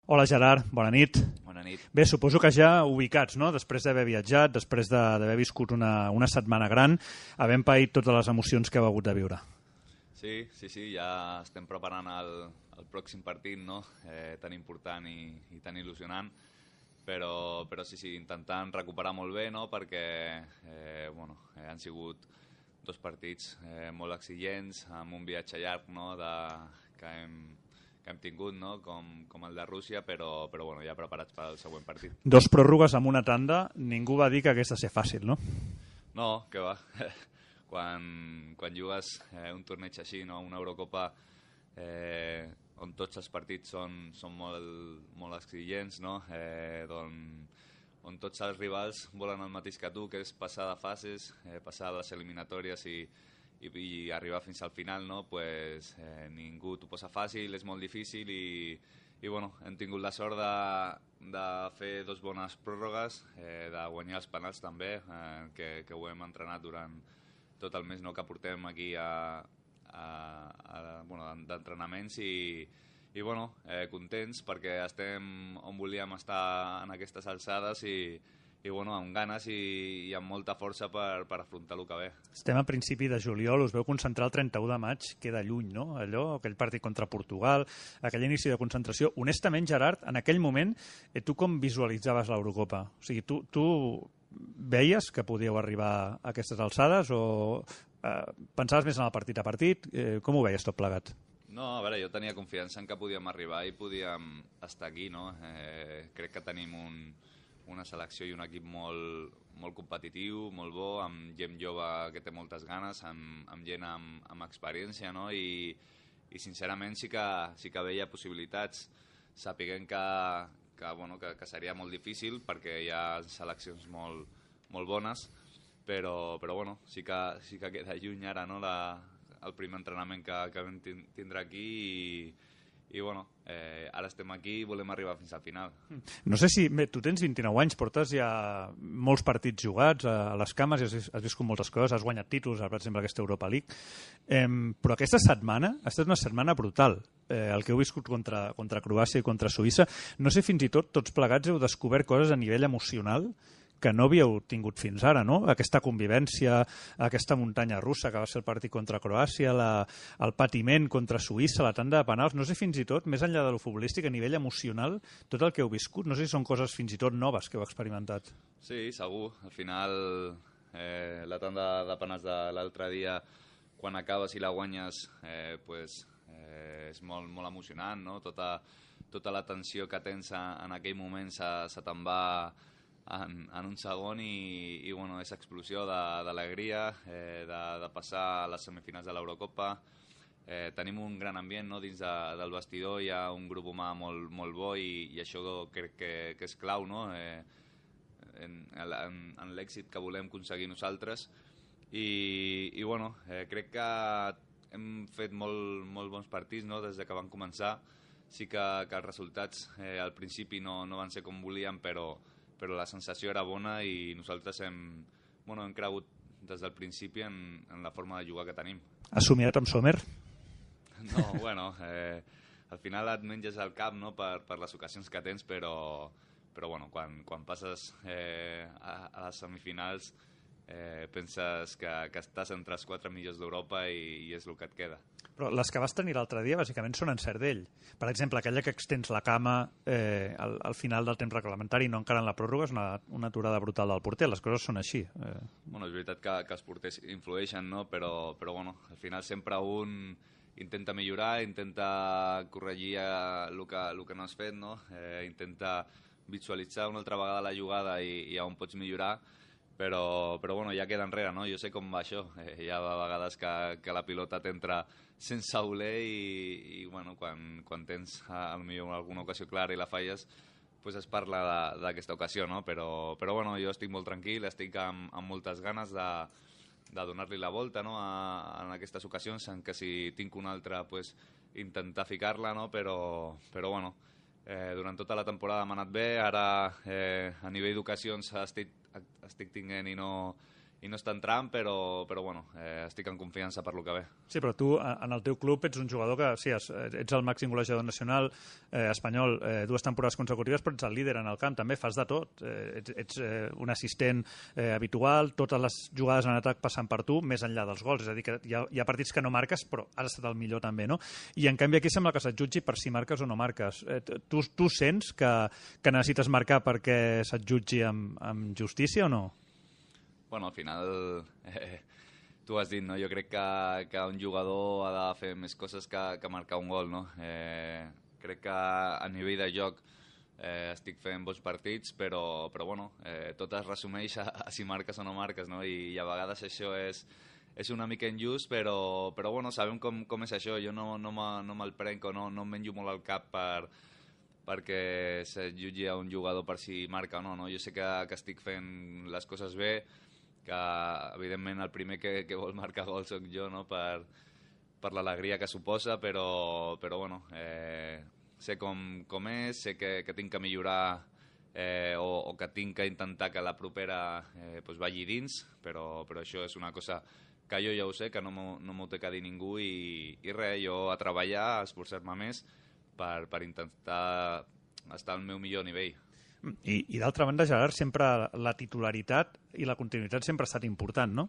Hola Gerard, bona nit. Bona nit. Bé, suposo que ja ubicats, no? Després d'haver viatjat, després d'haver viscut una setmana gran, havent paït totes les emocions que heu hagut de viure. Sí, ja estem preparant el pròxim partit, no? Tan important i tan il·lusionant, però sí, intentant recuperar molt bé, no? Perquè han sigut dos partits molt exigents, amb un viatge llarg, no? que hem tingut, no? com el de Rússia, però ja preparats per al següent partit. Dos pròrrogues amb una tanda, ningú va dir que hagués de ser fàcil, no? No, que va. Quan jugues un torneig així, no? Una Eurocopa on tots els partits són molt exigents, no? On tots els rivals volen el mateix que tu, que és passar de fases, passar les eliminatòries i arribar fins al final, no? Pues, ningú t'ho posa fàcil, és molt difícil i hem tingut la sort de fer dos bones pròrrogues, de guanyar els penals també, que ho hem entrenat durant tot el mes, no? Que portem aquí d'entrenaments i contents perquè estem on volíem estar en aquestes alçades i amb ganes i amb molta força per afrontar el que ve. Estem a principi de juliol, us veu concentrar el 31 de maig, queda lluny, no? Aquell partit contra Portugal, aquell inici de concentració. Honestament, Gerard, en aquell moment, tu com visualitzaves l'Eurocopa? O sigui, tu veies que podíeu arribar a aquestes alçades o pensaves més en el partit a partit? Com ho veies tot plegat? No, a veure, jo tenia confiança en que podíem arribar i podíem estar aquí, no? Crec que tenim una selecció i un equip molt competitiu, molt bo, amb gent jove que té moltes ganes, amb gent amb experiència, no? I sincerament sí que veia possibilitats, sapiguent que seria molt difícil perquè hi ha seleccions molt bones, però sí que queda lluny ara, no? El primer entrenament que vam tindre aquí i ara estem aquí i volem arribar fins al final. No sé si... Bé, tu tens 29 anys, portes ja molts partits jugats a les cames i has viscut moltes coses, has guanyat títols, per exemple, aquesta Europa League, però aquesta setmana ha estat una setmana brutal. El que heu viscut contra Croàcia i contra Suïssa. No sé, fins i tot, tots plegats heu descobert coses a nivell emocional que no havíeu tingut fins ara, no? Aquesta convivència, aquesta muntanya russa que va ser el partit contra Croàcia, el patiment contra Suïssa, la tanda de penals, no sé fins i tot, més enllà de lo futbolístic, a nivell emocional, tot el que heu viscut, no sé si són coses fins i tot noves que heu experimentat. Sí, segur. Al final, la tanda de penals de l'altre dia, quan acabes i la guanyes, és molt emocionant, no? Tota la tensió que tens en aquell moment se te'n va en un segon i és explosió d'alegria, de passar a les semifinals de l'Eurocopa. Tenim un gran ambient, no? Dins del vestidor hi ha un grup humà molt bo i això crec que és clau, no? En l'èxit que volem aconseguir nosaltres crec que hem fet molt bons partits, no? Des que van començar. Sí que els resultats al principi no van ser com volíem, però la sensació era bona i nosaltres hem cregut des del principi en la forma de jugar que tenim. Has somiat amb Sommer? No, al final et menges el cap, no? per les ocasions que tens, però quan passes a les semifinals penses que estàs entre els 4 millors d'Europa i és el que et queda. Però les que vas tenir l'altre dia bàsicament són encert d'ell. Per exemple, aquella que extens la cama al final del temps reglamentari i no encara en la pròrroga és una aturada brutal del porter. Les coses són així. És veritat que els porters influeixen, no? Però al final sempre un intenta millorar, intenta corregir el que no has fet, no? Intenta visualitzar una altra vegada la jugada i on pots millorar, però ja queda enrere, no? Jo sé com va això. Hi ha vegades que la pilota t'entra sense voler i quan tens potser alguna ocasió clara i la falles, pues es parla d'aquesta ocasió, no? Però jo estic molt tranquil, estic amb moltes ganes de donar-li la volta, no? En aquestes ocasions, en què si tinc una altra, pues, intentar ficar-la, no? Però durant tota la temporada m'ha anat bé, ara a nivell d'ocasions estic tinguent i no està entrant, però bueno, estic en confiança per lo que ve. Sí, però tu, en el teu club, ets un jugador que, sí, ets el màxim golejador nacional espanyol 2 temporades consecutives, però ets el líder en el camp, també fas de tot. Ets un assistent habitual, totes les jugades en atac passen per tu, més enllà dels gols. És a dir, que hi ha partits que no marques, però has estat el millor també, no? I en canvi aquí sembla que se't jutgi per si marques o no marques. Tu sents que necessites marcar perquè se't jutgi amb justícia o no? Bueno, al final, tu has dit, no? Jo crec que un jugador ha de fer més coses que marcar un gol, no? Crec que a nivell de joc estic fent bons partits, però bueno, tot es resumeix a si marques o no marques, no? I a vegades això és una mica injust, però bueno, sabem com és això. Jo no me'l prenc o no em menjo molt al cap perquè se jutgi a un jugador per si marca o no, no? Jo sé que estic fent les coses bé, que evidentment el primer que vol marcar gol soc jo, no? Per l'alegria que suposa, però bueno, sé com és, sé que tinc que millorar o que tinc que intentar que la propera vagi dins, però això és una cosa que jo ja ho sé, que no m'ho té que dir ningú i res, jo a treballar, a esforçar-me més per intentar estar al meu millor nivell. I d'altra banda, Gerard, sempre la titularitat i la continuïtat sempre ha estat important, no?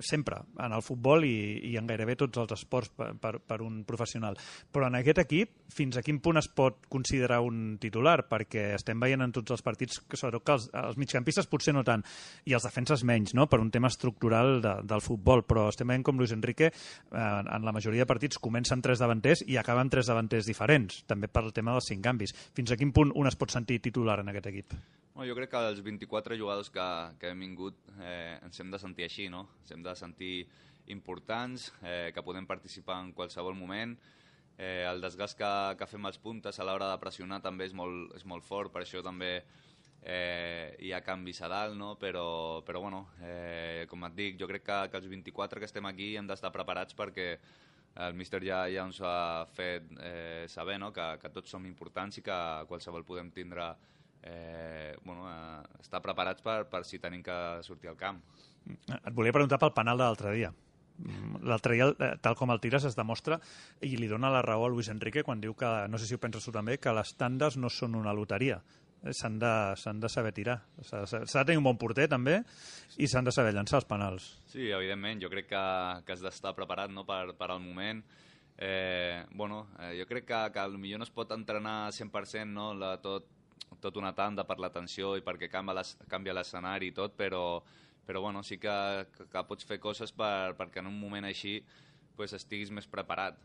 Sempre, en el futbol i en gairebé tots els esports per un professional. Però en aquest equip, fins a quin punt es pot considerar un titular? Perquè estem veient en tots els partits que sobretot que els migcampistes potser no tant, i els defenses menys, no? Per un tema estructural del futbol, però estem veient com Luis Enrique en la majoria de partits comença amb 3 davanters i acaba amb 3 davanters diferents, també per el tema dels 5 canvis. Fins a quin punt un es pot sentir titular en aquest equip? Bueno, jo crec que els 24 jugadors que hem vingut ens hem de sentir així, no? Ens hem de sentir importants, que podem participar en qualsevol moment. El desgast que fem als puntes a l'hora de pressionar també és molt fort, per això també hi ha canvis a dalt, no? Però bueno, com et dic, jo crec que els 24 que estem aquí hem d'estar preparats perquè el míster ja ens ha fet saber, no? Que tots som importants i que qualsevol podem tindre estar preparats per si tenim que sortir al camp. Et volia preguntar pel penal de l'altre dia. L'altre dia, tal com el tires, es demostra i li dona la raó a Luis Enrique quan diu que, no sé si ho penses tu també, que les tandes no són una loteria. S'han de saber tirar. S'ha de tenir un bon porter també i s'han de saber llançar els penals. Sí, evidentment, jo crec que has d'estar preparat, no, per al moment. Jo crec que potser no es pot entrenar 100%, no, tot una tanda per la tensió i perquè canvia l'escenari i tot, però bueno, sí que pots fer coses perquè en un moment així estiguis més preparat.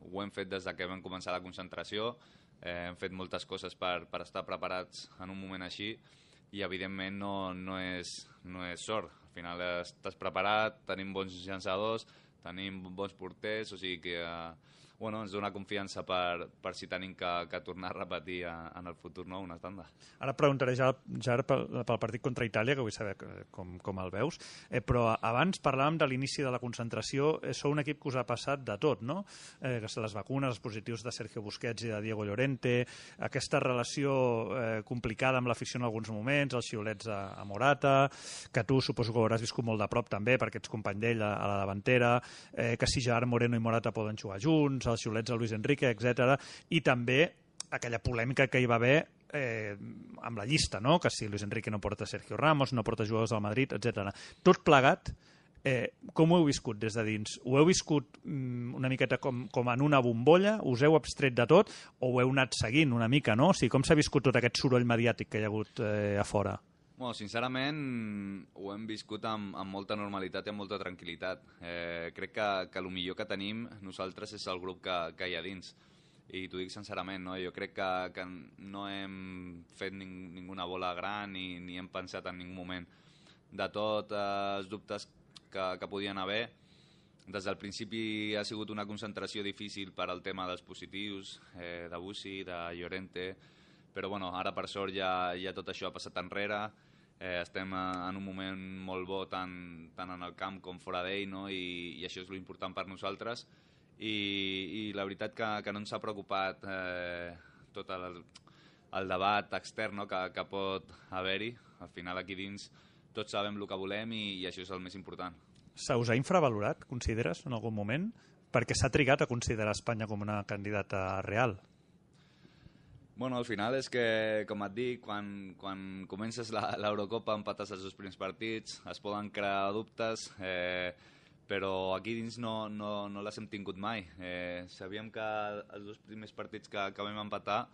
Ho hem fet des que vam començar la concentració, hem fet moltes coses per estar preparats en un moment així i evidentment no és sort. Al final estàs preparat, tenim bons llançadors, tenim bons porters, o sigui que ens dona confiança per si tenim que tornar a repetir en el futur, no, una tanda. Ara et preguntaré ja pel partit contra Itàlia, que vull saber com el veus, però abans parlàvem de l'inici de la concentració. Sou un equip que us ha passat de tot, no? Les vacunes, els positius de Sergio Busquets i de Diego Llorente, aquesta relació complicada amb l'afició en alguns moments, els xiulets a Morata, que tu suposo que ho hauràs viscut molt de prop també, perquè ets company d'ell a la davantera, que si Gerard Moreno i Morata poden jugar junts, els xiulets a Luis Enrique, etc. I també aquella polèmica que hi va haver amb la llista, no? Que si Luis Enrique no porta Sergio Ramos, no porta jugadors del Madrid, etc. Tot plegat, com ho heu viscut des de dins? Ho heu viscut una miqueta com en una bombolla? Us heu abstret de tot? O ho heu anat seguint una mica, no? O sigui, com s'ha viscut tot aquest soroll mediàtic que hi ha hagut a fora? Bueno, sincerament, ho hem viscut amb molta normalitat i amb molta tranquil·litat. Crec que el millor que tenim nosaltres és el grup que hi ha dins. I t'ho dic sincerament, no? Jo crec que no hem fet ninguna bola gran ni hem pensat en ningú moment. De tots els dubtes que podien haver, des del principi ha sigut una concentració difícil per al tema dels positius, de Bussi, de Llorente, però bueno, ara per sort ja tot això ha passat enrere. Estem en un moment molt bo tant en el camp com fora d'ell, no? I això és l'important per nosaltres i la veritat que no ens ha preocupat tot el debat extern, no? que pot haver-hi. Al final aquí dins tots sabem el que volem i això és el més important. Se us ha infravalorat, consideres, en algun moment? Perquè s'ha trigat a considerar Espanya com una candidata real. Bueno, al final és que, com et dic, quan comences l'Eurocopa empates els 2 primers partits, es poden crear dubtes, però aquí dins no les hem tingut mai. Sabíem que els 2 primers partits que vam empatar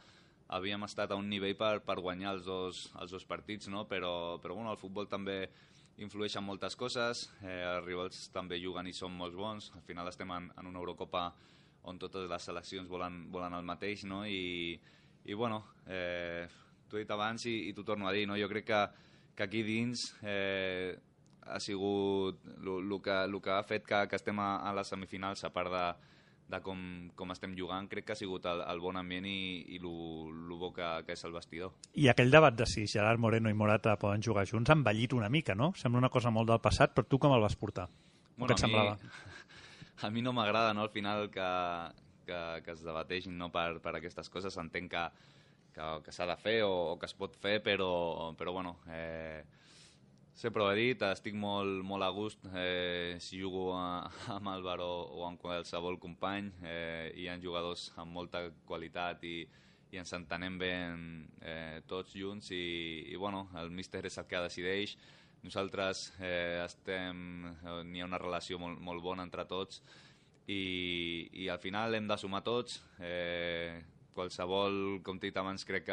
havíem estat a un nivell per guanyar els dos partits, no? Però bueno, el futbol també influeix en moltes coses, els rivals també juguen i són molt bons, al final estem en una Eurocopa on totes les seleccions volen el mateix, no? I bueno, t'ho he dit abans i t'ho torno a dir, no? Jo crec que aquí dins ha sigut el que ha fet que estem a les semifinals, a part de com estem jugant, crec que ha sigut el bon ambient i el bo que és el vestidor. I aquell debat de si Gerard Moreno i Morata poden jugar junts ha envellit una mica, no? Sembla una cosa molt del passat, però tu com el vas portar? Bueno, què et semblava? A mi no m'agrada, no, al final que es debateixin, no, per aquestes coses. Entenc que s'ha de fer o que es pot fer, però bueno, sempre ho he dit, estic molt a gust si jugo amb Álvaro o amb qualsevol company. Hi ha jugadors amb molta qualitat i ens entenem bé tots junts i bueno, el míster és el que decideix. Nosaltres n'hi ha una relació molt bona entre tots i al final hem de sumar tots. Qualsevol, com t'he dit abans, crec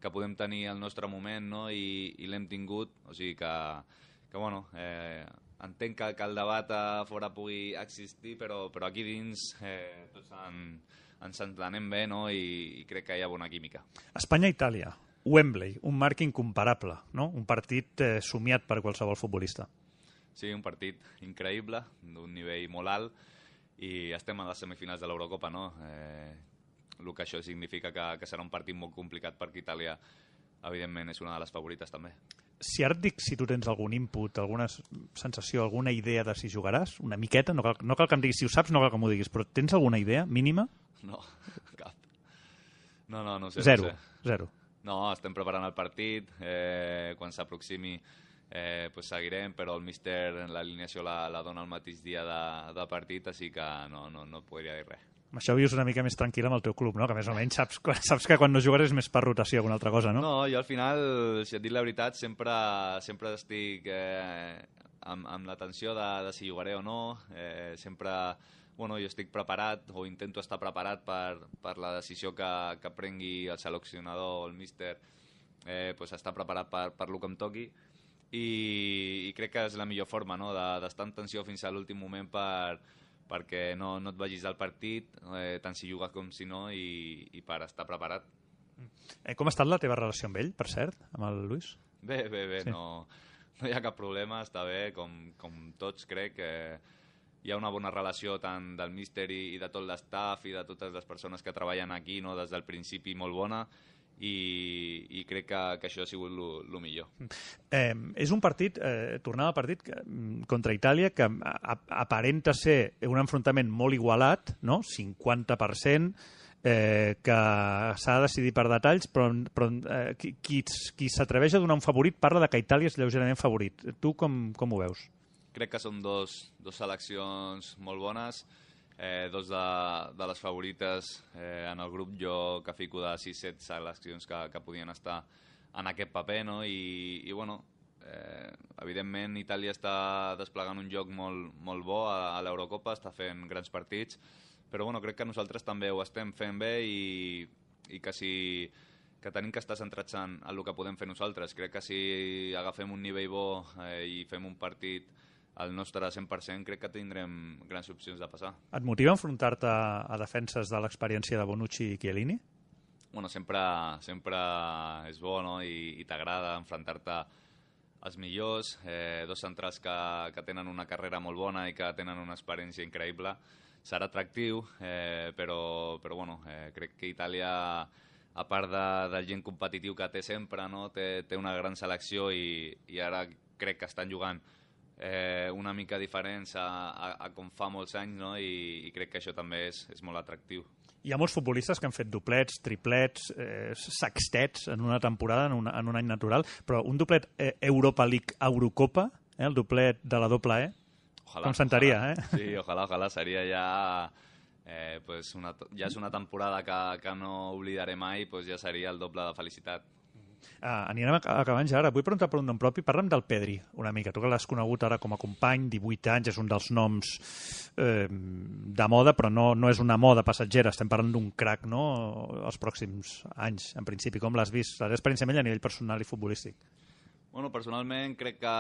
que podem tenir el nostre moment, no? I l'hem tingut, o sigui que bueno, entenc que el debat a fora pugui existir, però aquí dins tots ens entenem bé, no? I crec que hi ha bona química. Espanya-Itàlia, Wembley, un marc incomparable, no? Un partit somiat per qualsevol futbolista. Sí, un partit increïble, d'un nivell molt alt, i estem a les semifinals de l'Eurocopa, no? El que això significa que serà un partit molt complicat perquè Itàlia, evidentment, és una de les favorites també. Si ara et dic si tu tens algun input, alguna sensació, alguna idea de si jugaràs, una miqueta, no cal que em diguis si ho saps, no cal que m'ho diguis, però tens alguna idea mínima? No, cap. No sé. Zero. No, estem preparant el partit, quan s'aproximi pues seguirem, però el míster l'alineació la dona el mateix dia de partit, així que no podria dir res. Amb això vius una mica més tranquil amb el teu club, no? Que més o menys saps que quan no jugaràs és més per rotació que una altra cosa, no? No, jo al final, si et dic la veritat, sempre estic amb la tensió de si jugaré o no. Sempre, bueno, jo estic preparat o intento estar preparat per la decisió que prengui el seleccionador o el míster, pues estar preparat per lo que em toqui. I crec que és la millor forma, no? D'estar en tensió fins a l'últim moment perquè no et vagis al partit, tant si jugues com si no, i per estar preparat. Com ha estat la teva relació amb ell, per cert, amb el Luis? Bé, sí. No hi ha cap problema, està bé, com tots crec. Hi ha una bona relació tant del míster i de tot l'estaf i de totes les persones que treballen aquí, no? Des del principi molt bona, i crec que això ha sigut el millor. És un partit, tornant al partit contra Itàlia, que aparenta ser un enfrontament molt igualat, no? 50%, que s'ha de decidir per detalls, però qui s'atreveix a donar un favorit parla de que Itàlia és lleugerament favorit. Tu com ho veus? Crec que són dos seleccions molt bones, dos de les favorites en el grup. Jo que fico de 6-7 seleccions que podien estar en aquest paper, no? I bueno, evidentment Itàlia està desplegant un joc molt bo a l'Eurocopa, està fent grans partits, però bueno, crec que nosaltres també ho estem fent bé i que tenim que estar centrats en el que podem fer nosaltres. Crec que si agafem un nivell bo i fem un partit al nostre 100%, crec que tindrem grans opcions de passar. Et motiva enfrontar-te a defenses de l'experiència de Bonucci i Chiellini? Bueno, sempre és bo, no? I t'agrada enfrontar-te als millors, dos centrals que tenen una carrera molt bona i que tenen una experiència increïble. Serà atractiu, però bueno, crec que Itàlia, a part del gent competitiu que té sempre, no? Té una gran selecció i ara crec que estan jugant una mica diferents a com fa molts anys, no? I crec que això també és molt atractiu. Hi ha molts futbolistes que han fet doblets, triplets, sextets en una temporada, en un any natural, però un doblet Europa League Eurocopa, el doblet de la doble E, com sentaria, Sí, ojalà, seria ja... pues ja és una temporada que no oblidaré mai, pues ja seria el doble de felicitat. Anirem acabant ja ara. Vull preguntar per un nom propi. Parla'm del Pedri, una mica. Tu que l'has conegut ara com a company, 18 anys, és un dels noms de moda, però no és una moda passatgera. Estem parlant d'un crac, no?, els pròxims anys, en principi. Com l'has vist? La teva experiència amb ell a nivell personal i futbolístic. Bueno, personalment crec que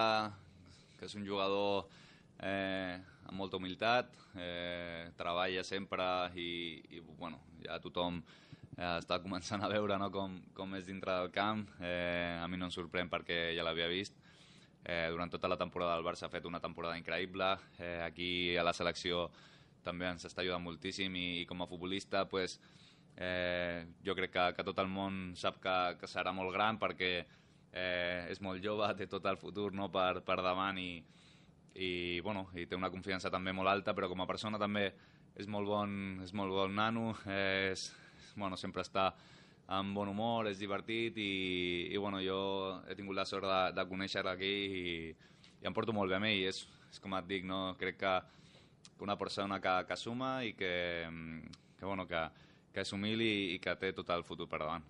és un jugador amb molta humilitat, treballa sempre i bueno, ja tothom està començant a veure, no, com és dintre del camp. A mi no em sorprèn perquè ja l'havia vist. Durant tota la temporada el Barça ha fet una temporada increïble. Aquí a la selecció també ens està ajudant moltíssim i com a futbolista pues, jo crec que tot el món sap que serà molt gran perquè és molt jove, té tot el futur, no, per davant i té una confiança també molt alta, però com a persona també és molt bon nano, sempre està amb bon humor, és divertit i jo he tingut la sort de conèixer-lo aquí i em porto molt bé amb ell. És com et dic, no? Crec que una persona que suma i que és humil i que té tot el futur per davant.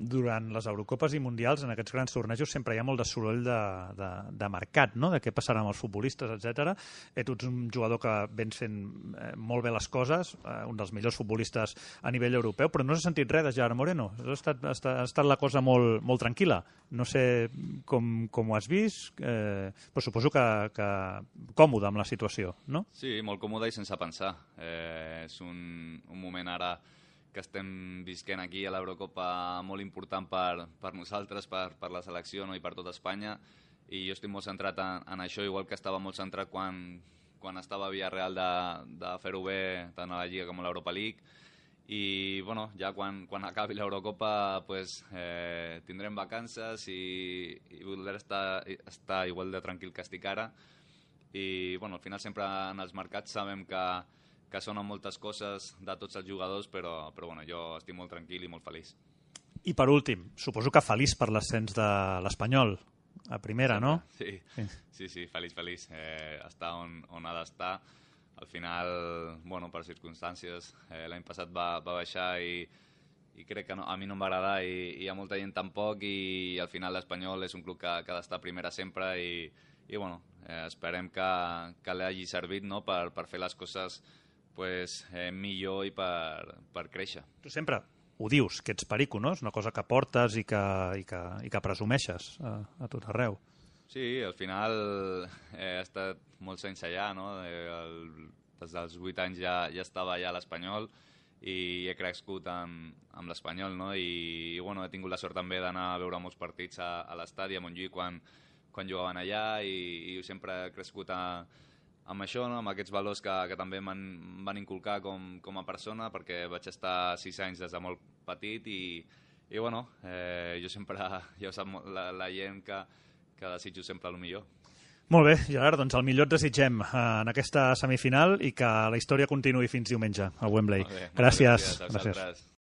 Durant les Eurocopes i Mundials, en aquests grans tornejos, sempre hi ha molt de soroll de mercat, no?, de què passarà amb els futbolistes, etc. Tu ets un jugador que vens fent molt bé les coses, un dels millors futbolistes a nivell europeu, però no s'ha sentit res de Gerard Moreno. Ha estat la cosa molt, molt tranquil·la. No sé com ho has vist, però suposo que còmode amb la situació, no? Sí, molt còmode i sense pensar. És un moment ara que estem visquent aquí a l'Eurocopa molt important per nosaltres, per la selecció, no?, i per tota Espanya, i jo estic molt centrat en això, igual que estava molt centrat quan estava a Villarreal de fer-ho bé tant a la Lliga com a l'Europa League, i ja quan acabi l'Eurocopa pues, tindrem vacances i voldré estar igual de tranquil que estic ara, i al final sempre en els mercats sabem que sonen moltes coses de tots els jugadors, però jo estic molt tranquil i molt feliç. I per últim, suposo que feliç per l'ascens de l'Espanyol a primera, no? Sí, feliç. Està on ha d'estar. Al final, per circumstàncies, l'any passat va baixar i crec que a mi no em va agradar i a molta gent tampoc, i al final l'Espanyol és un club que ha d'estar a primera sempre i esperem que l'hagi servit, no?, per fer les coses pues, millor i per créixer. Tu sempre ho dius, que ets perico, no? És una cosa que portes i que presumeixes a tot arreu. Sí, al final he estat molts anys allà, no? Des dels 8 anys ja estava allà a l'Espanyol i he crescut amb l'Espanyol, no? I he tingut la sort també d'anar a veure molts partits a l'estadi a Montjuïc quan jugaven allà i sempre he crescut amb això, no?, amb aquests valors que també m'han van inculcar com a persona, perquè vaig estar 6 anys des de molt petit i jo sempre, ja ho sap la gent, que desitjo sempre el millor. Molt bé, Gerard, doncs el millor et desitgem en aquesta semifinal i que la història continuï fins diumenge al Wembley. Molt bé, gràcies. Gràcies.